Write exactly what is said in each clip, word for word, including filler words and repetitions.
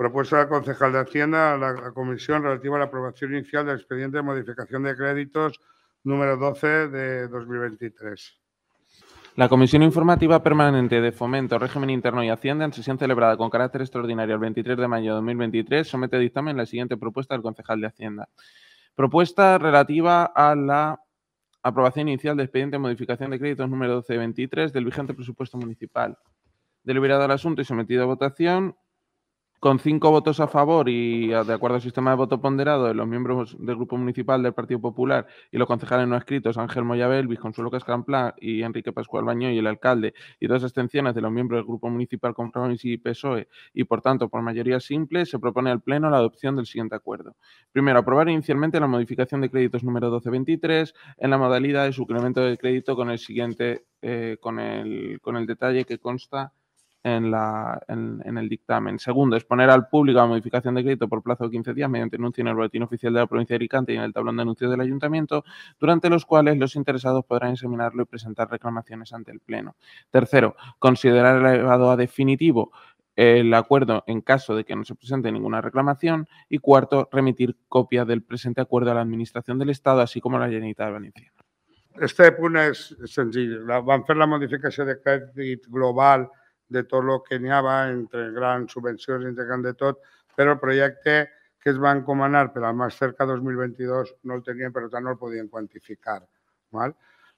Propuesta del concejal de Hacienda a la comisión relativa a la aprobación inicial del expediente de modificación de créditos número doce de dos mil veintitrés. La Comisión Informativa Permanente de Fomento, Régimen Interno y Hacienda, en sesión celebrada con carácter extraordinario el veintitrés de mayo de dos mil veintitrés, somete a dictamen la siguiente propuesta del concejal de Hacienda. Propuesta relativa a la aprobación inicial del expediente de modificación de créditos número doce de veintitrés del vigente presupuesto municipal. Deliberado el asunto y sometido a votación, con cinco votos a favor y de acuerdo al sistema de voto ponderado de los miembros del Grupo Municipal del Partido Popular y los concejales no escritos Ángel Moyabel, Luis Consuelo Cascamplá y Enrique Pascual Bañó y el alcalde, y dos abstenciones de los miembros del Grupo Municipal Compromís y P S O E, y por tanto por mayoría simple, se propone al Pleno la adopción del siguiente acuerdo. Primero, aprobar inicialmente la modificación de créditos número doce veintitrés en la modalidad de suplemento de crédito con el siguiente, eh, con, el, con el detalle que consta En, la, en, en el dictamen. Segundo, exponer al público la modificación de crédito por plazo de quince días mediante anuncio en el boletín oficial de la provincia de Alicante y en el tablón de anuncios del ayuntamiento, durante los cuales los interesados podrán examinarlo y presentar reclamaciones ante el Pleno. Tercero, considerar elevado a definitivo el acuerdo en caso de que no se presente ninguna reclamación. Y cuarto, remitir copia del presente acuerdo a la Administración del Estado, así como a la Generalitat Valenciana. Este punt és senzill. Vam fer la modificació de crèdit global de tot el que n'hi havia, entre grans subvencions, entre gran de tot, però el projecte que es va encomanar per al Más Cerca dos mil veintidós no el tenien, per tant no el podien quantificar. ¿Vale?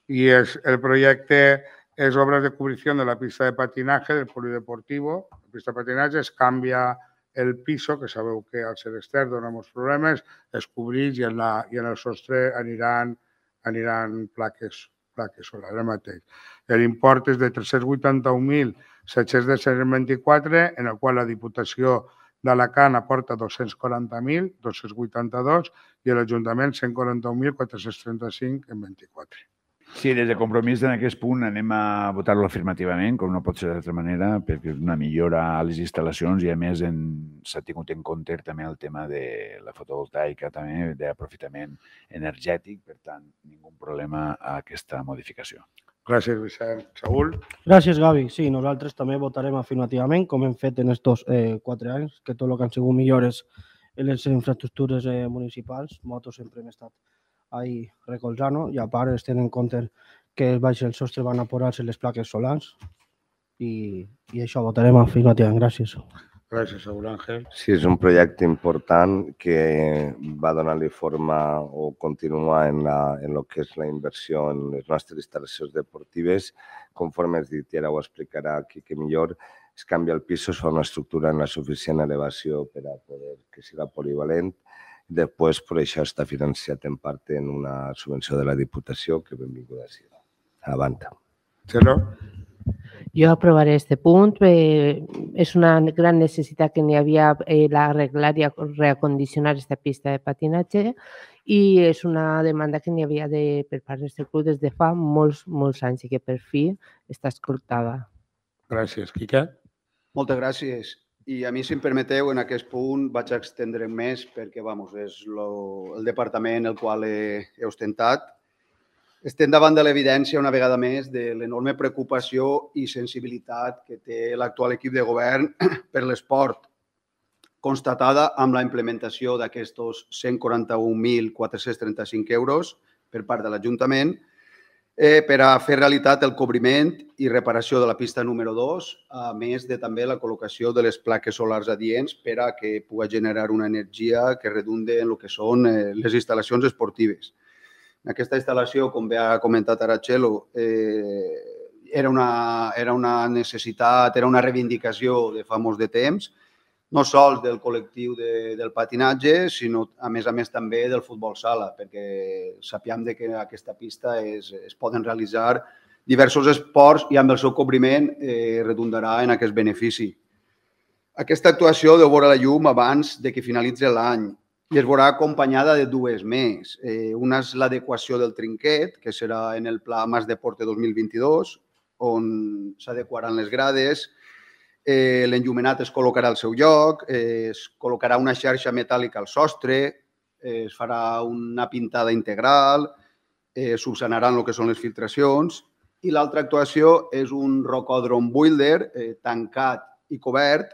Y es, el projecte es obras de cubrición de la pista de patinaje del polideportivo. La pista de patinaje es canvia el piso, que sabeu que al ser extern dona molts problemes, es cobreix i en, la, i en el sostre aniran, aniran plaques, plaques solars, el mateix. L'import és de tres-cents vuitanta-un mil set-cents vint-i-quatre, en el qual la Diputació d'Alacant aporta dos-cents quaranta mil dos-cents vuitanta-dos i l'Ajuntament cent quaranta-un mil quatre-cents trenta-cinc en vint-i-quatre. Sí, des de Compromís en aquest punt anem a votar-lo afirmativament, com no pot ser d'altra manera, perquè és una millora a les instal·lacions i a més s'ha tingut en compte també el tema de la fotovoltaica, també d'aprofitament energètic, per tant, ningú problema a aquesta modificació. Gràcies, Vicent. Saúl? Gràcies, Gavi. Sí, nosaltres també votarem afirmativament, com hem fet en estos eh, quatre anys, que tot el que han sigut millores en les infraestructures eh, municipals, motos sempre hem estat ahí recolzant-ho, i a part es tenen en compte que baix el sostre van a posar-se les plaques solars i, i això votarem afirmativament. Gràcies. Gràcies, Saúl Ángel. Sí, és un projecte important que va donar-li forma o continua en, la, en lo que és la inversió en les nostres instal·lacions deportives. Conforme has dit, i ara ho explicarà aquí que millor, es canvia el pis, es fa una estructura en la suficient elevació per a poder que siga polivalent. Després, per això està financiat en part en una subvenció de la Diputació, que benvinguda sigui. Avant. Txelo? Jo aprovaré este punt. Eh, és una gran necessitat que n'hi havia eh, l'arreglar i reacondicionar aquesta pista de patinatge i és una demanda que n'hi havia de, per part del club des de fa molts, molts anys i que per fi està escoltada. Gràcies. Quique? Moltes gràcies. I a mi, si em permeteu, en aquest punt vaig a extendre més perquè, vamos, és lo, el departament el qual he, he ostentat. Estem davant de l'evidència, una vegada més, de l'enorme preocupació i sensibilitat que té l'actual equip de govern per l'esport, constatada amb la implementació d'aquests cent quaranta-un mil quatre-cents trenta-cinc euros per part de l'Ajuntament eh, per a fer realitat el cobriment i reparació de la pista número dos, a més de també la col·locació de les plaques solars adients per a que pugui generar una energia que redunde en el que són eh, les instal·lacions esportives. Aquesta instal·lació, com bé ha comentat ara Txelo, eh, era, una, era una necessitat, era una reivindicació de fa molts de temps, no sols del col·lectiu de, del patinatge, sinó a més a més també del futbol sala, perquè sapiem que aquesta pista es, es poden realitzar diversos esports i amb el seu cobriment eh, redundarà en aquest benefici. Aquesta actuació deu veure la llum abans de que finalitzi l'any i es veurà acompanyada de dues més. Eh, una és l'adequació del trinquet, que serà en el Pla Mas Deporte dos mil vint-i-dos, on s'adequaran les grades, eh, l'enllumenat es col·locarà al seu lloc, eh, es col·locarà una xarxa metàl·lica al sostre, eh, es farà una pintada integral, eh, subsanaran el que són les filtracions, i l'altra actuació és un rocòdrom builder eh, tancat i cobert,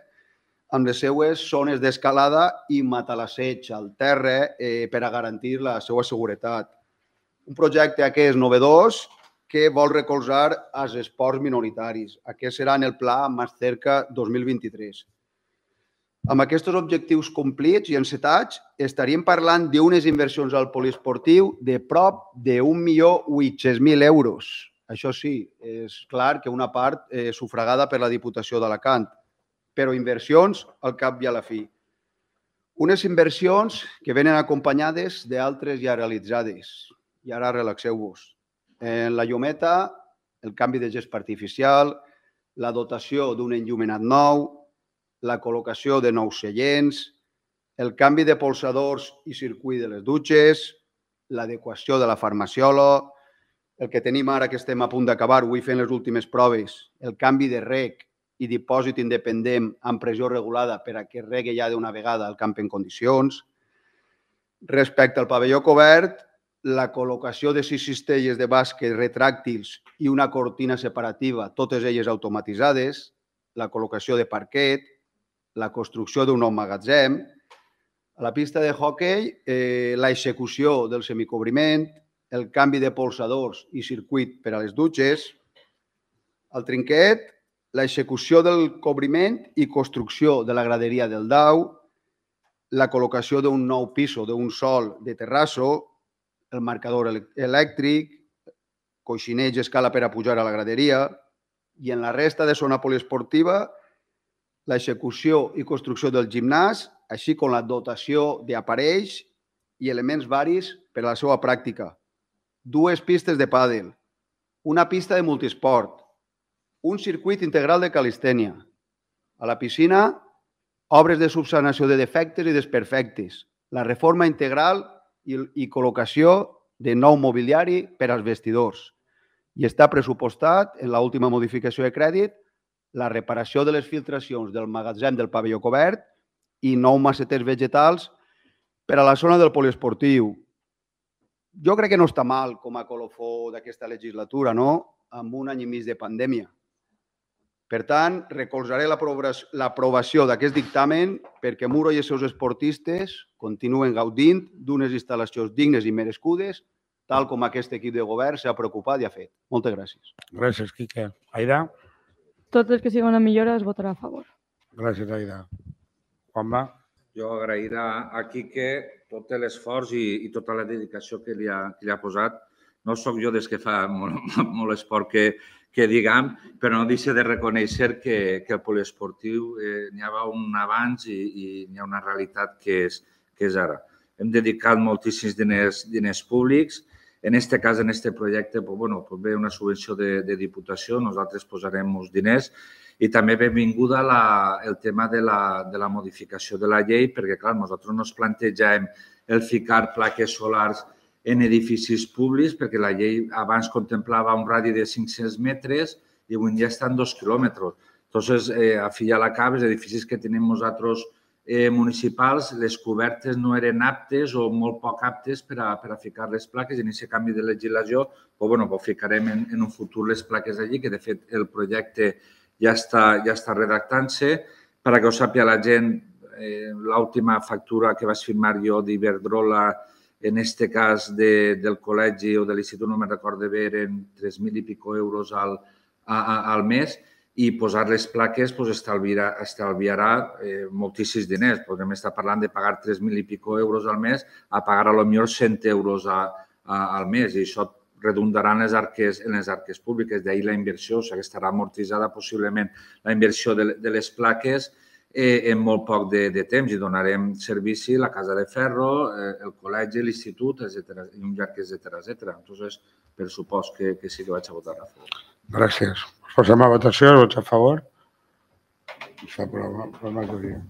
amb les seues zones d'escalada i matalasseig al terra eh, per a garantir la seva seguretat. Un projecte aquest novedós que vol recolzar els esports minoritaris. Aquest serà en el pla Más Cerca dos mil vint-i-tres. Amb aquests objectius complits i encetats, estaríem parlant d'unes inversions al poliesportiu de prop d'un milió vuit-cents mil euros. Això sí, és clar que una part eh, sufragada per la Diputació d'Alacant, però inversions al cap i a la fi. Unes inversions que venen acompanyades d'altres ja realitzades. I ara relaxeu-vos. En la llumeta, el canvi de gespa artificial, la dotació d'un enllumenat nou, la col·locació de nous seients, el canvi de polsadors i circuit de les dutxes, l'adequació de la farmaciola, el que tenim ara que estem a punt d'acabar, avui fent les últimes proves, el canvi de reg i dipòsit independent amb pressió regulada per a que regui ja d'una vegada el camp en condicions. Respecte al pavelló cobert, la col·locació de sis cistelles de bàsquet retràctils i una cortina separativa, totes elles automatitzades, la col·locació de parquet, la construcció d'un nou magatzem, a la pista de hoquei, eh, l'execució del semicobriment, el canvi de polsadors i circuit per a les dutxes, al trinquet, l'execució del cobriment i construcció de la graderia del dau, la col·locació d'un nou piso, d'un sol de terrasso, el marcador elèctric, coixineig escala per a pujar a la graderia i en la resta de zona poliesportiva, l'execució i construcció del gimnàs, així com la dotació d'aparells i elements varis per a la seva pràctica. Dues pistes de pàdel, una pista de multisport, un circuit integral de calistènia. A la piscina, obres de subsanació de defectes i desperfectes, la reforma integral i, i col·locació de nou mobiliari per als vestidors. I està pressupostat, en l'última modificació de crèdit, la reparació de les filtracions del magatzem del pavelló cobert i nou maceters vegetals per a la zona del poliesportiu. Jo crec que no està mal com a colofó d'aquesta legislatura, no? Amb un any i mig de pandèmia. Per tant, recolzaré l'aprovació d'aquest dictamen perquè Muro i els seus esportistes continuen gaudint d'unes instal·lacions dignes i merescudes, tal com aquest equip de govern s'ha preocupat i ha fet. Moltes gràcies. Gràcies, Quique. Aida? Tot el que sigui una millora es votarà a favor. Gràcies, Aida. Juanma? Jo agrair a Quique tot l'esforç i, i tota la dedicació que li ha, que li ha posat. No sóc jo des que fa molt, molt esport que, que diguem, però no deixa de reconèixer que, que el poliesportiu eh, n'hi ha un abans i, i n'hi ha una realitat que és, que és ara. Hem dedicat moltíssims diners, diners públics. En aquest cas, en aquest projecte, pues, bueno, pues ve una subvenció de, de Diputació, nosaltres posarem uns diners. I també benvinguda la, el tema de la, de la modificació de la llei, perquè, clar, nosaltres no ens plantegem el ficar plaques solars en edificis públics, perquè la llei abans contemplava un radi de cinc-cents metres i avui dia estan dos quilòmetres. Entonces, eh, a fi i a la cap, els edificis que tenim nosaltres eh, municipals, les cobertes no eren aptes o molt poc aptes per a, per a ficar les plaques. En aquest canvi de legislació, pues, bueno, pues ficarem en, en un futur les plaques allí, que de fet el projecte ja està, ja està redactant-se. Per a que ho sàpiga la gent, eh, l'última factura que vaig firmar jo d'Iberdrola, en aquest cas de, del col·legi o de l'institut, no me'n recordo bé, eren tres mil i pico euros al, a, a, al mes, i posar les plaques pues, estalviarà, estalviarà eh, moltíssims diners. Podem estar parlant de pagar tres mil i pico euros al mes a pagar a lo millor cent euros a, a, al mes, i això redundarà en les arques, en les arques públiques, d'ahir la inversió, o sigui que estarà amortitzada possiblement la inversió de, de les plaques eh, en molt poc de, de temps i donarem servici a la Casa de Ferro, eh, el col·legi, l'institut, etcètera, i un llarg, etcètera, etcètera. Entonces, per supost que, que sí que vaig a votar a favor. Gràcies. Posem a votació, vots a favor. S'aprova, per majoria.